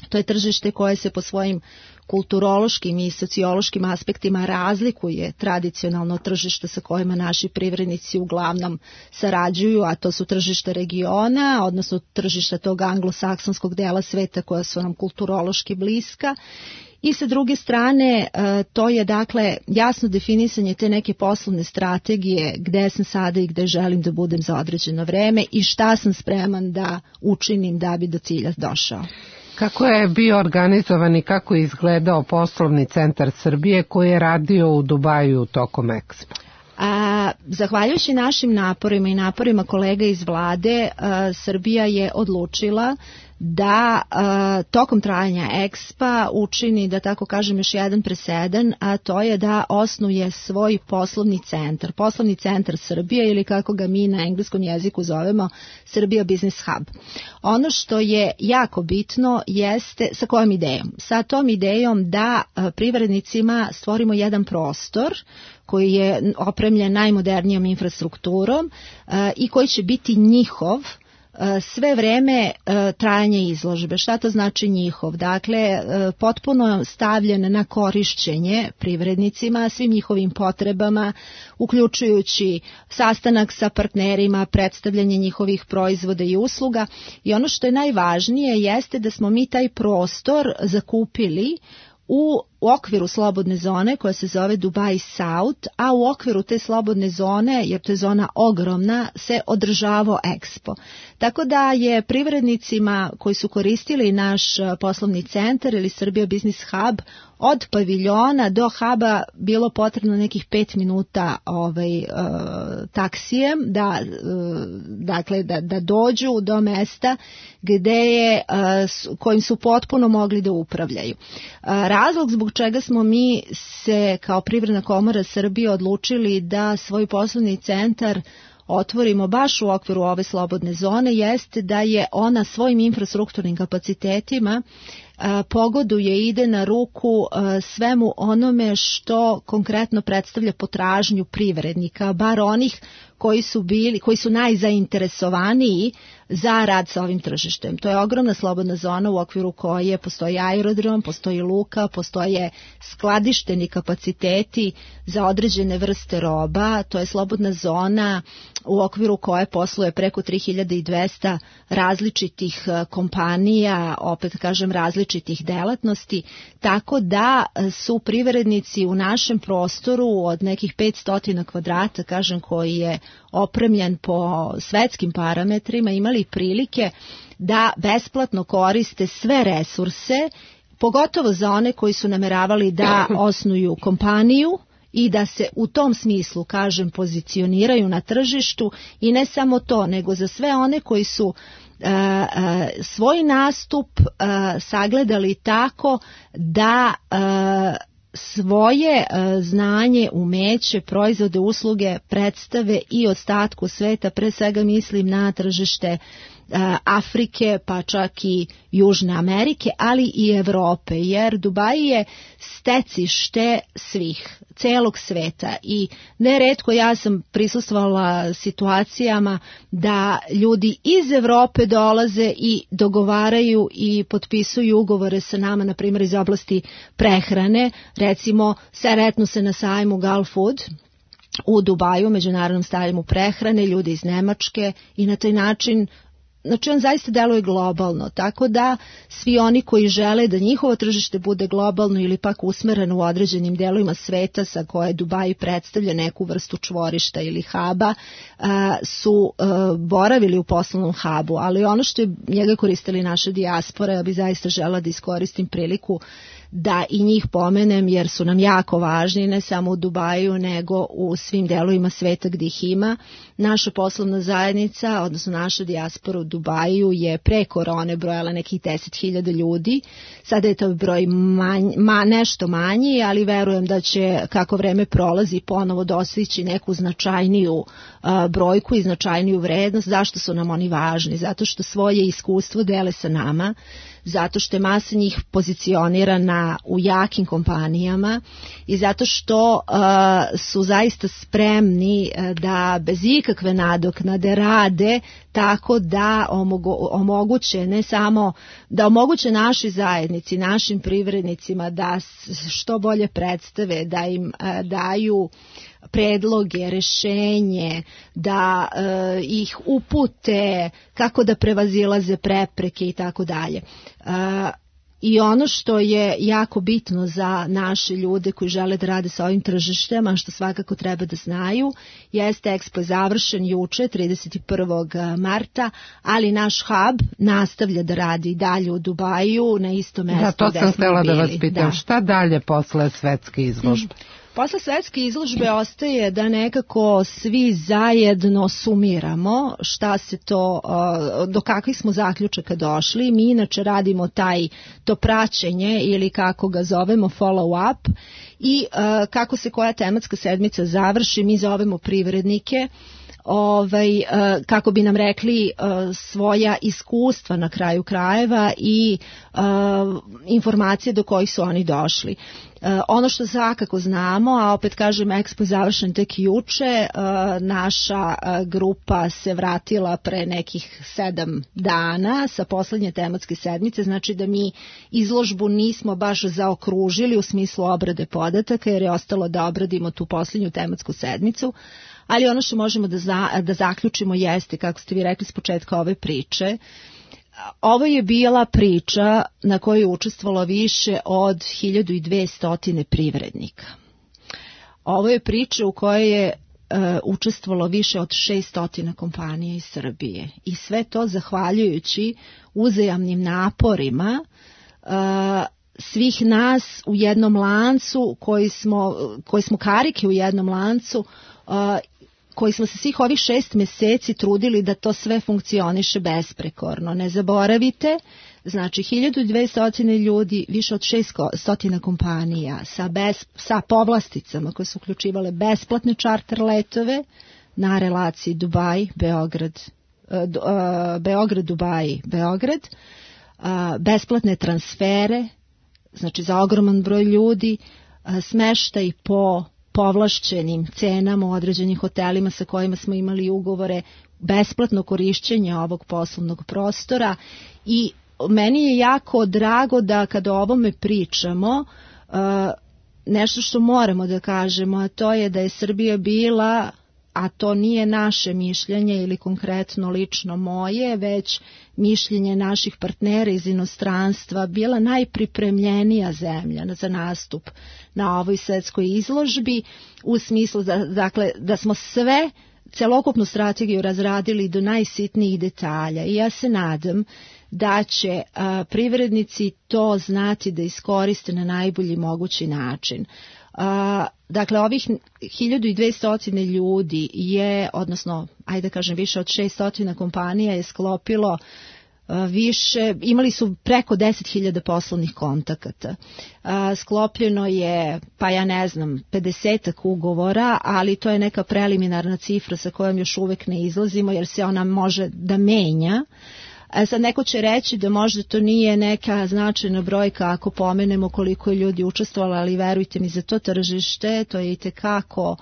To je tržište koje se po svojim kulturološkim i sociološkim aspektima razlikuje tradicionalno od tržišta sa kojima naši privrednici uglavnom sarađuju, a to su tržište regiona, odnosno tržišta tog anglosaksonskog dela sveta koja su nam kulturološki bliska. I sa druge strane, to je dakle jasno definisanje te neke poslovne strategije gde sam sada i gde želim da budem za određeno vreme i šta sam spreman da učinim da bi do cilja došao. Kako je bio organizovan i kako je izgledao poslovni centar Srbije koji je radio u Dubaju tokom Expo? A, zahvaljujući našim naporima i naporima kolega iz vlade, a, Srbija je odlučila da a, tokom trajanja Expa učini, da tako kažem, još jedan presedan, a to je da osnuje svoj poslovni centar. Poslovni centar Srbije, ili kako ga mi na engleskom jeziku zovemo, Srbija Business Hub. Ono što je jako bitno jeste sa kojom idejom? Sa tom idejom da a, privrednicima stvorimo jedan prostor koji je opremljen najmodernijom infrastrukturom a, i koji će biti njihov sve vreme trajanje izložbe. Šta to znači njihov? Dakle, potpuno stavljen na korišćenje privrednicima, svim njihovim potrebama, uključujući sastanak sa partnerima, predstavljanje njihovih proizvoda i usluga. I ono što je najvažnije jeste da smo mi taj prostor zakupili u okviru slobodne zone koja se zove Dubai South, a u okviru te slobodne zone, jer to je zona ogromna, se održavao Expo. Tako da je privrednicima koji su koristili naš poslovni centar ili Serbia Business Hub od paviljona do huba bilo potrebno nekih pet minuta ovaj, uh, taksijem da, uh, dakle, da, da dođu do mesta gde je, uh, kojim su potpuno mogli da upravljaju. Uh, razlog zbog čega smo mi se kao Privredna komora Srbije odlučili da svoj poslovni centar otvorimo baš u okviru ove slobodne zone jeste da je ona svojim infrastrukturnim kapacitetima pogoduje i ide na ruku svemu onome što konkretno predstavlja potražnju privrednika, bar onih koji su bili, koji su najzainteresovaniji za rad sa ovim tržištem. To je ogromna slobodna zona u okviru koje postoji aerodrom, postoji luka, postoje skladišteni kapaciteti za određene vrste roba. To je slobodna zona u okviru koje posluje preko tri hiljade dvesta različitih kompanija, opet kažem različitih delatnosti, tako da su privrednici u našem prostoru od nekih petsto kvadrata, kažem, koji je opremljen po svetskim parametrima, imali prilike da besplatno koriste sve resurse, pogotovo za one koji su nameravali da osnuju kompaniju i da se u tom smislu, kažem, pozicioniraju na tržištu, i ne samo to, nego za sve one koji su Uh, uh, svoj nastup uh, sagledali tako da uh, svoje uh, znanje, umeće, proizvode, usluge predstave i ostatku sveta, pre svega mislim na tržište uh, Afrike, pa čak i Južne Amerike, ali i Evrope, jer Dubai je stecište svih, celog sveta, i neretko ja sam prisustvovala situacijama da ljudi iz Evrope dolaze i dogovaraju i potpisuju ugovore sa nama, na primjer iz oblasti prehrane, recimo sretnu se na sajmu Gulf Food u Dubaju, međunarodnom sajmu prehrane, ljudi iz Nemačke, i na taj način, znači on zaista deluje globalno, tako da svi oni koji žele da njihovo tržište bude globalno ili pak usmereno u određenim delovima sveta sa koje Dubai predstavlja neku vrstu čvorišta ili huba, su boravili u poslovnom hubu, ali ono što je njega koristili naša dijaspora, ja bi zaista žela da iskoristim priliku da i njih pomenem, jer su nam jako važni, ne samo u Dubaju, nego u svim delovima sveta gdje ih ima. Naša poslovna zajednica, odnosno naša dijaspora u Dubaju je pre korone brojala nekih deset hiljada ljudi. Sada je to broj manj, ma, nešto manji, ali verujem da će, kako vreme prolazi, ponovo dostići neku značajniju uh, brojku i značajniju vrednost. Zašto su nam oni važni? Zato što svoje iskustvo dele sa nama, zato što je masa njih pozicionirana u jakim kompanijama i zato što uh, su zaista spremni uh, da bez ikakve nadoknade rade tako da omogu, omoguće ne samo da omoguće našoj zajednici, našim privrednicima da što bolje predstave, da im uh, daju predloge, rešenje, da e, ih upute kako da prevazilaze prepreke i tako dalje. I ono što je jako bitno za naše ljude koji žele da rade sa ovim tržištem, a što svakako treba da znaju, jeste Expo je završen juče, trideset prvog marta, ali naš hub nastavlja da radi dalje u Dubaju, na isto mesto. Da, to sam htjela da vas pitam. Da. Šta dalje posle svetske izložbe? Mm. Posle svetske izložbe ostaje da nekako svi zajedno sumiramo šta se to, do kakvih smo zaključaka došli. Mi inače radimo taj, to praćenje ili kako ga zovemo follow up, i kako se koja tematska sedmica završi, mi zovemo privrednike ovaj, kako bi nam rekli svoja iskustva na kraju krajeva i informacije do kojih su oni došli. Ono što svakako znamo, a opet kažem, Expo je završen tek juče, naša grupa se vratila pre nekih sedam dana sa poslednje tematske sedmice, znači da mi izložbu nismo baš zaokružili u smislu obrade podataka, jer je ostalo da obradimo tu poslednju tematsku sedmicu, ali ono što možemo da, za, da zaključimo jeste, kako ste vi rekli s početka ove priče, ovo je bila priča na kojoj je učestvovalo više od hiljadu dvesta privrednika. Ovo je priča u kojoj je uh, učestvovalo više od šesto kompanija iz Srbije i sve to zahvaljujući uzajamnim naporima uh, svih nas u jednom lancu koji smo, koji smo karike u jednom lancu uh, koji smo se svih ovih šest meseci trudili da to sve funkcioniše besprekorno. Ne zaboravite, znači hiljadu dvesta ljudi, više od šesto kompanija sa, bez, sa povlasticama koje su uključivale besplatne čarter letove na relaciji Dubaj, Beograd, Beograd, Dubaj, Beograd, besplatne transfere, znači za ogroman broj ljudi, smeštaj po povlašćenim cenama u određenim hotelima sa kojima smo imali ugovore, besplatno korišćenje ovog poslovnog prostora i meni je jako drago da kada o ovome pričamo, nešto što moramo da kažemo, a to je da je Srbija bila, a to nije naše mišljenje ili konkretno lično moje, već mišljenje naših partnera iz inostranstva, bila najpripremljenija zemlja za nastup na ovoj svetskoj izložbi, u smislu da, dakle, da smo sve, celokupnu strategiju razradili do najsitnijih detalja i ja se nadam da će a, privrednici to znati da iskoriste na najbolji mogući način. A, dakle, ovih hiljadu dvesta ljudi je, odnosno, ajde da kažem, više od šesto kompanija je sklopilo više, imali su preko deset hiljada poslovnih kontakata. Sklopljeno je, pa ja ne znam, pedesetak ugovora, ali to je neka preliminarna cifra sa kojom još uvek ne izlazimo, jer se ona može da menja. Sad neko će reći da možda to nije neka značajna brojka ako pomenemo koliko je ljudi učestvovalo, ali verujte mi, za to tržište to je itekako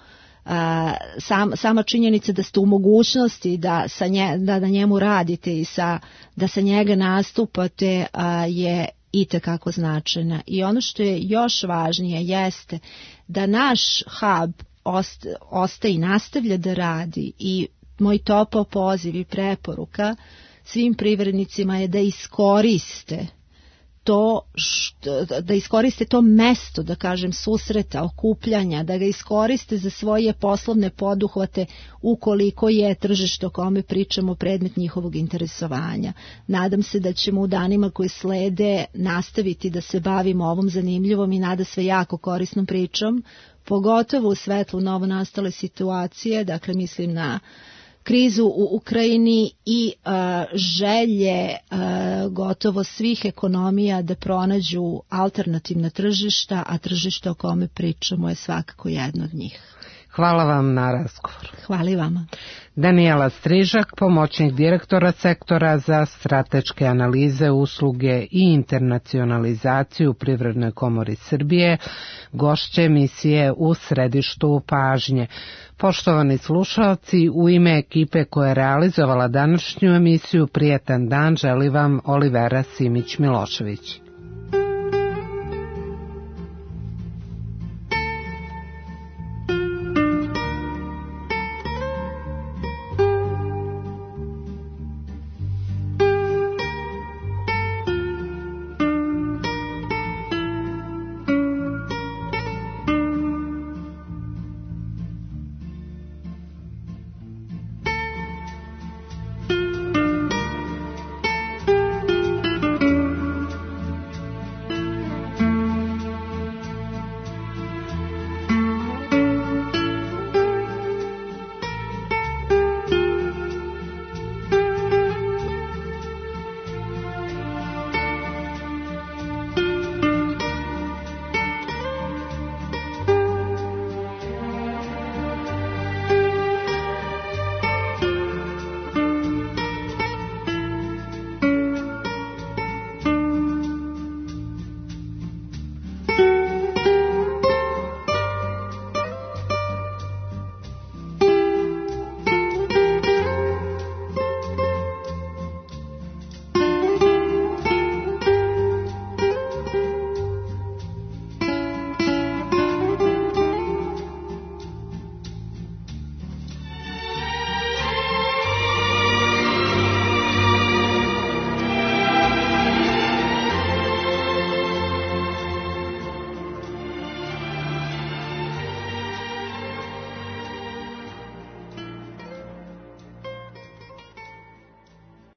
sam, sama činjenica da ste u mogućnosti da, sa nje, da na njemu radite i sa, da sa njega nastupate je itekako značajna. I ono što je još važnije jeste da naš hub osta, ostaje i nastavlja da radi i moj topao poziv i preporuka svim privrednicima je da iskoriste to, što, da iskoriste to mesto, da kažem, susreta, okupljanja, da ga iskoriste za svoje poslovne poduhvate ukoliko je tržište o kome pričamo predmet njihovog interesovanja. Nadam se da ćemo u danima koji slede nastaviti da se bavimo ovom zanimljivom i nada sve jako korisnom pričom, pogotovo u svetlu novonastale situacije, dakle mislim na krizu u Ukrajini i uh, želje uh, gotovo svih ekonomija da pronađu alternativna tržišta, a tržište o kome pričamo je svakako jedno od njih. Hvala vam na razgovor. Hvala i vama. Danijela Strižak, pomoćnik direktora sektora za strateške analize, usluge i internacionalizaciju u Privrednoj komori Srbije, gošće emisije U središtu pažnje. Poštovani slušalci, u ime ekipe koja je realizovala današnju emisiju, prijetan dan želi vam Olivera Simić-Milošević.